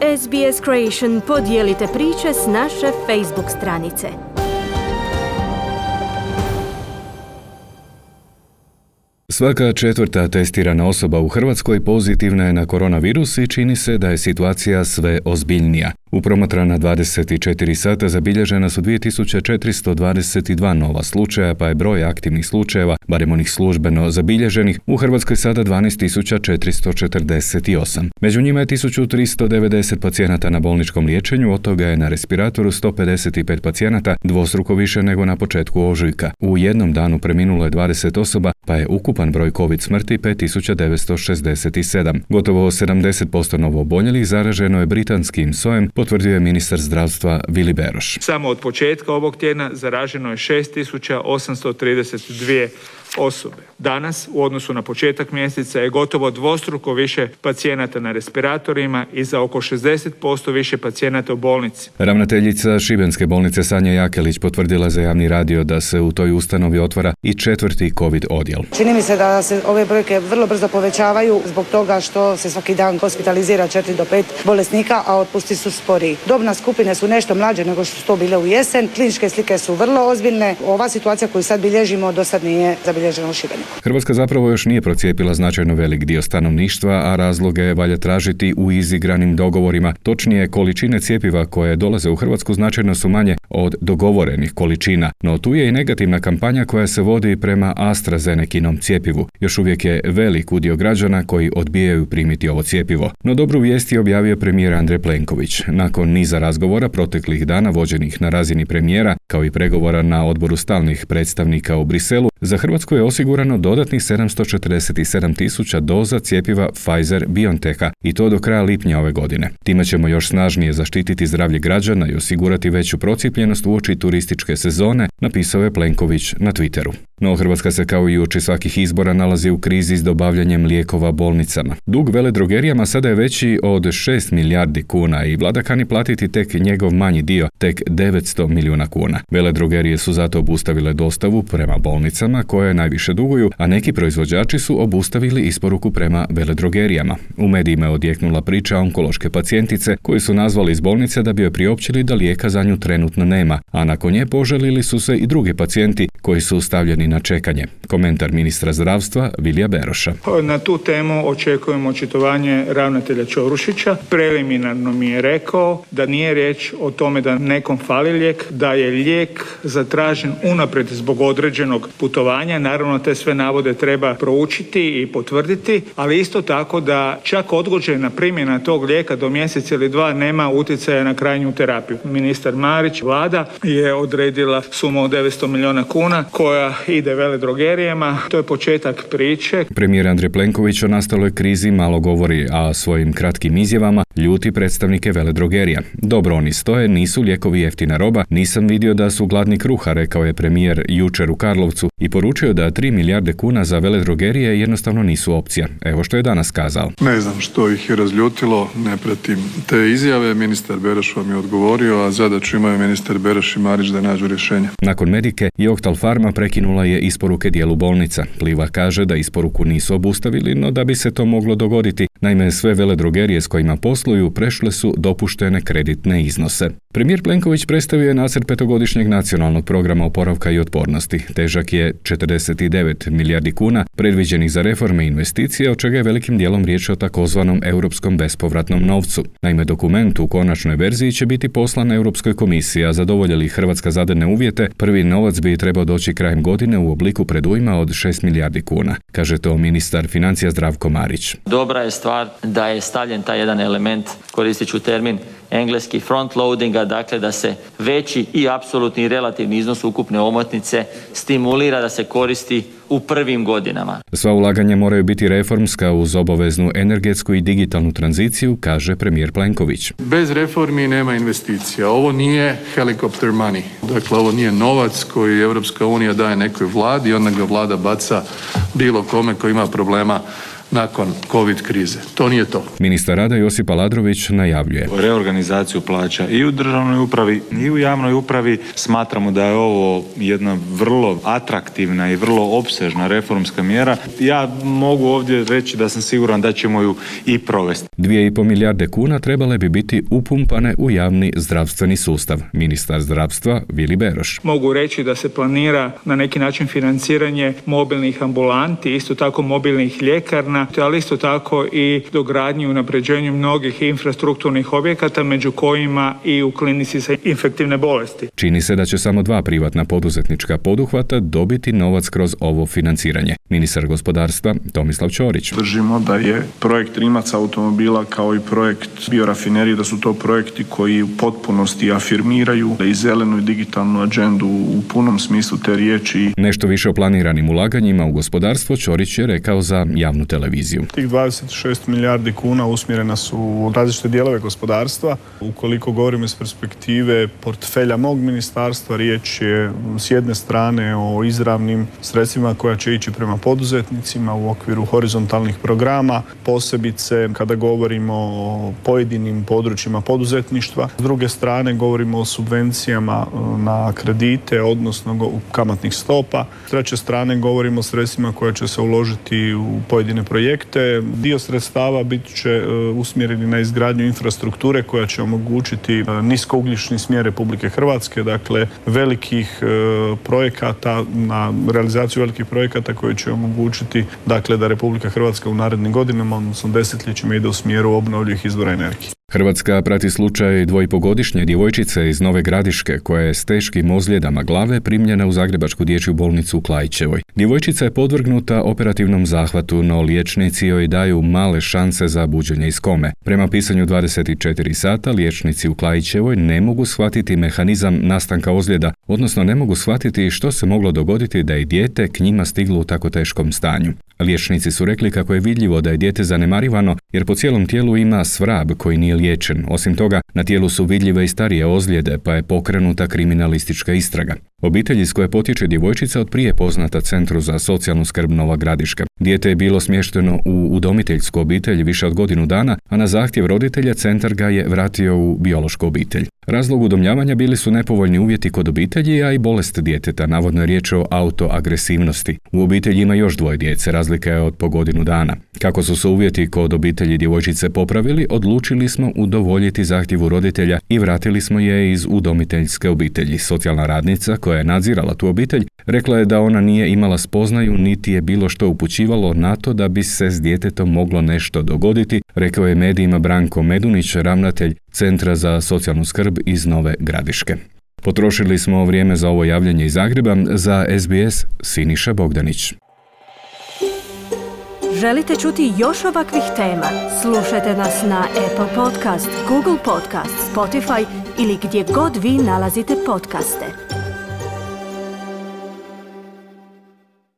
SBS Creation podijelite priče s naše Facebook stranice. Svaka četvrta testirana osoba u Hrvatskoj pozitivna je na koronavirus i čini se da je situacija sve ozbiljnija. U promatrana 24 sata zabilježena su 2422 nova slučaja, pa je broj aktivnih slučajeva, barem onih službeno zabilježenih, u Hrvatskoj sada 12448. Među njima je 1390 pacijenata na bolničkom liječenju, od toga je na respiratoru 155 pacijenata, dvostruko više nego na početku ožujka. U jednom danu preminulo je 20 osoba, pa je ukupan broj COVID smrti 5967. Gotovo 70% novooboljelih zaraženo je britanskim sojem, potvrdio je ministar zdravstva Vili Beroš. Samo od početka ovog tjedna zaraženo je 6832 osobe. Danas, u odnosu na početak mjeseca, je gotovo dvostruko više pacijenata na respiratorima i za oko 60% više pacijenata u bolnici. Ravnateljica Šibenske bolnice Sanja Jakelić potvrdila za javni radio da se u toj ustanovi otvara i 4. COVID odjel. Čini mi se da se ove brojke vrlo brzo povećavaju zbog toga što se svaki dan hospitalizira 4 do 5 bolesnika, a otpusti su sporiji. Dobne skupine su nešto mlađe nego što su to bile u jesen. Kliničke slike su vrlo ozbiljne. Ova situacija koju sad bilježimo do sad nije zabilježena u Šibeniku. Hrvatska zapravo još nije procijepila značajno velik dio stanovništva, a razloge valja tražiti u izigranim dogovorima. Točnije, količine cjepiva koje dolaze u Hrvatsku značajno su manje od dogovorenih količina. No tu je i negativna kampanja koja se vodi prema AstraZenekinom cjepivu. Još uvijek je velik udio građana koji odbijaju primiti ovo cjepivo. No dobru vijest je objavio premijer Andrej Plenković. Nakon niza razgovora proteklih dana vođenih na razini premijera, kao i pregovora na odboru stalnih predstavnika u Briselu, za Hrvatsku je osigurano dodatnih 747.000 doza cjepiva Pfizer-BioNTecha i to do kraja lipnja ove godine. Time ćemo još snažnije zaštititi zdravlje građana i osigurati veću procijepljenost uoči turističke sezone, napisao je Plenković na Twitteru. No Hrvatska se kao i uoči svakih izbora nalazi u krizi s dobavljanjem lijekova bolnicama. Dug veledrogerijama sada je veći od 6 milijardi kuna i vlada kani platiti tek njegov manji dio, tek 900 milijuna kuna. Veledrogerije su zato obustavile dostavu prema bolnicama koje najviše duguju, a neki proizvođači su obustavili isporuku prema veledrogerijama. U medijima je odjeknula priča onkološke pacijentice koju su nazvali iz bolnice da bi joj priopćili da lijeka za nju trenutno nema, a nakon nje požalili su se i drugi pacijenti koji su stavljeni na čekanje. Komentar ministra zdravstva Vilija Beroša. Na tu temu očekujemo očitovanje ravnatelja Ćorušića. Preliminarno mi je rekao da nije riječ o tome da nekom fali lijek, da je lijek zatražen unaprijed zbog određenog putovanja. Naravno, te sve navode treba proučiti i potvrditi, ali isto tako da čak odgođena primjena tog lijeka do mjesec ili dva nema utjecaja na krajnju terapiju. Ministar Marić, vlada, je odredila sumu od 900 milijuna kuna koja ide veledrogerijama. To je početak priče. Premijer Andrej Plenković o nastaloj krizi malo govori, a svojim kratkim izjavama ljuti predstavnike veledrogerija. Dobro oni stoje, nisu lijekovi jeftina roba, nisam vidio da su gladni kruha, rekao je premijer jučer u Karlovcu i poručio da 3 milijarde kuna za veledrogerije jednostavno nisu opcija. Evo što je danas kazao. Ne znam što ih je razljutilo, ne pratim te izjave. Ministar Beroš vam je odgovorio, a zadaću imaju ministar Beroš i Marić da nađu rješenje. Nakon Medike i Octal Pharma prekinula je isporuke dijelu bolnica. Pliva kaže da isporuku nisu obustavili, no da bi se to moglo dogoditi. Naime, sve veledrogerije s kojima posluju prešle su dopuštene kreditne iznose. Premijer Plenković predstavio je nacrt 5-godišnjeg nacionalnog programa oporavka i otpornosti. Težak je 49 milijardi kuna predviđenih za reforme i investicije, od čega je velikim dijelom riječ o takozvanom europskom bespovratnom novcu. Naime, dokument u konačnoj verziji će biti poslan Europskoj komisiji, a zadovolje li Hrvatska zadane uvjete, prvi novac bi trebao doći krajem godine u obliku predujma od 6 milijardi kuna, kaže to ministar financija Zdravko Marić. Dobra je stvar da je stavljen taj jedan element, koristit ću termin engleski front loadinga, dakle da se veći i apsolutni i relativni iznos ukupne omotnice stimulira da se koristi u prvim godinama. Sva ulaganja moraju biti reformska uz obaveznu energetsku i digitalnu tranziciju, kaže premijer Plenković. Bez reformi nema investicija. Ovo nije helicopter money. Dakle, ovo nije novac koji Europska unija daje nekoj vladi i onda ga vlada baca bilo kome koji ima problema nakon COVID krize. To nije to. Ministar rada Josip Aladrović najavljuje. Reorganizaciju plaća i u državnoj upravi i u javnoj upravi. Smatramo da je ovo jedna vrlo atraktivna i vrlo opsežna reformska mjera. Ja mogu ovdje reći da sam siguran da ćemo ju i provesti. 2,5 milijarde kuna trebale bi biti upumpane u javni zdravstveni sustav. Ministar zdravstva Vili Beroš. Mogu reći da se planira na neki način financiranje mobilnih ambulanti, isto tako mobilnih ljekarna, ali isto tako i dogradnju i unapređenju mnogih infrastrukturnih objekata, među kojima i u klinici za infektivne bolesti. Čini se da će samo 2 privatna poduzetnička poduhvata dobiti novac kroz ovo financiranje. Ministar gospodarstva Tomislav Ćorić. Držimo da je projekt Rimac automobila kao i projekt biorafinerije, da su to projekti koji u potpunosti afirmiraju i zelenu i digitalnu agendu u punom smislu te riječi. Nešto više o planiranim ulaganjima u gospodarstvo Ćorić je rekao za javnu televiziju. Tih 26 milijardi kuna usmjerena su u različite dijelove gospodarstva. Ukoliko govorimo iz perspektive portfelja mog ministarstva, riječ je s jedne strane o izravnim sredstvima koja će ići prema poduzetnicima u okviru horizontalnih programa, posebice kada govorimo o pojedinim područjima poduzetništva. S druge strane govorimo o subvencijama na kredite, odnosno kamatnih stopa. S treće strane govorimo o sredstvima koja će se uložiti u pojedine projekte. Dio sredstava bit će usmjereni na izgradnju infrastrukture koja će omogućiti niskougljični smjer Republike Hrvatske, dakle velikih projekata, na realizaciju velikih projekata koji će omogućiti dakle da Republika Hrvatska u narednim godinama, odnosno desetljećima, ide u smjeru obnovljivih izvora energije. Hrvatska prati slučaj 2,5-godišnje djevojčice iz Nove Gradiške koja je s teškim ozljedama glave primljena u Zagrebačku dječju bolnicu u Klaićevoj. Djevojčica je podvrgnuta operativnom zahvatu, no liječnici joj daju male šanse za buđenje iz kome. Prema pisanju 24 sata, liječnici u Klaićevoj ne mogu shvatiti mehanizam nastanka ozljeda, odnosno ne mogu shvatiti što se moglo dogoditi da je dijete k njima stiglo u tako teškom stanju. Liječnici su rekli kako je vidljivo da je dijete zanemarivano jer po cijelom tijelu ima svrab koji nije liječen. Osim toga, na tijelu su vidljive i starije ozljede, pa je pokrenuta kriminalistička istraga. Obitelj iz koje potječe djevojčica od prije poznata Centru za socijalnu skrb Nova Gradiška. Dijete je bilo smješteno u udomiteljsku obitelj više od godinu dana, a na zahtjev roditelja centar ga je vratio u biološku obitelj. Razlog udomljavanja bili su nepovoljni uvjeti kod obitelji, a i bolest djeteta, navodno je riječ o autoagresivnosti. U obitelji ima još 2 djece, razlika je od po godinu dana. Kako su se uvjeti kod obitelji djevojčice popravili, odlučili smo udovoljiti zahtjevu roditelja i vratili smo je iz udomiteljske obitelji. Socijalna radnica koja je nadzirala tu obitelj rekla je da ona nije imala spoznaju niti je bilo što upućivalo na to da bi se s djetetom moglo nešto dogoditi, rekao je medijima Branko Medunić, ravnatelj Centra za socijalnu skrb iz Nove Gradiške. Potrošili smo vrijeme za ovo javljanje iz Zagreba. Za SBS Siniša Bogdanić. Želite čuti još ovakvih tema? Slušajte nas na Apple Podcast, Google Podcast, Spotify ili gdje god vi nalazite podcaste.